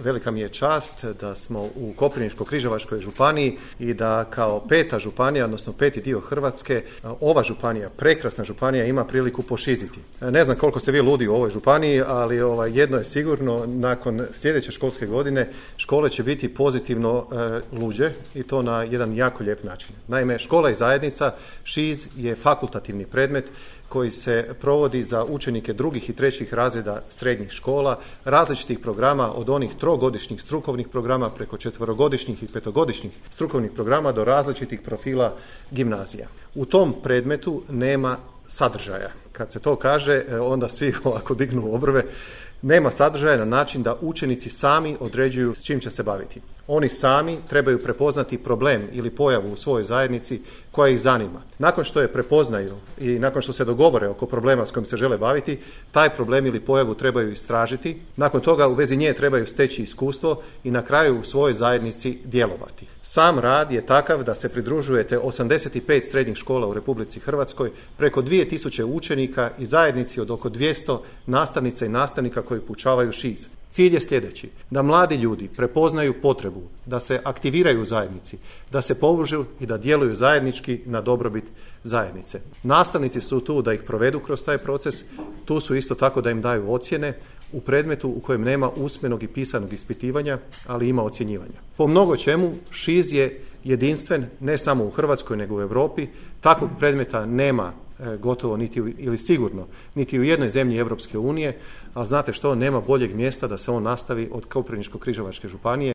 velika mi je čast da smo u Koprivničko-križevačkoj županiji i da kao 5. županija, odnosno 5. dio Hrvatske, ova županija, prekrasna županija, ima priliku pošiziti. Ne znam koliko ste vi ludi u ovoj županiji, ali jedno je sigurno, nakon sljedeće školske godine škole će biti pozitivno luđe i to na jedan jako lijep način. Naime, škola i zajednica, ŠIZ, je fakultativni predmet koji se provodi za učenike 2. i 3. razreda srednjih škola, različitih programa od onih 3-godišnjih strukovnih programa preko 4-godišnjih i 5-godišnjih strukovnih programa do različitih profila gimnazija. U tom predmetu nema sadržaja. Kad se to kaže, onda svi ovako dignu obrve. Nema sadržaja na način da učenici sami određuju s čim će se baviti. Oni sami trebaju prepoznati problem ili pojavu u svojoj zajednici koja ih zanima. Nakon što je prepoznaju i nakon što se dogovore oko problema s kojim se žele baviti, taj problem ili pojavu trebaju istražiti. Nakon toga u vezi nje trebaju steći iskustvo i na kraju u svojoj zajednici djelovati. Sam rad je takav da se pridružujete 85 srednjih škola u Republici Hrvatskoj, preko 2000 učenika i zajednici od oko 200 nastavnica i nastavnika koji poučavaju ŠIZ. Cilj je sljedeći: da mladi ljudi prepoznaju potrebu, da se aktiviraju u zajednici, da se povežu i da djeluju zajednički na dobrobit zajednice. Nastavnici su tu da ih provedu kroz taj proces, tu su isto tako da im daju ocjene u predmetu u kojem nema usmenog i pisanog ispitivanja, ali ima ocjenjivanja. Po mnogo čemu ŠIZ je jedinstven ne samo u Hrvatskoj nego u Europi. Takvog predmeta nema gotovo ili sigurno niti u jednoj zemlji Europske unije, ali znate što, nema boljeg mjesta da se on nastavi od Koprivničko-križevačke županije.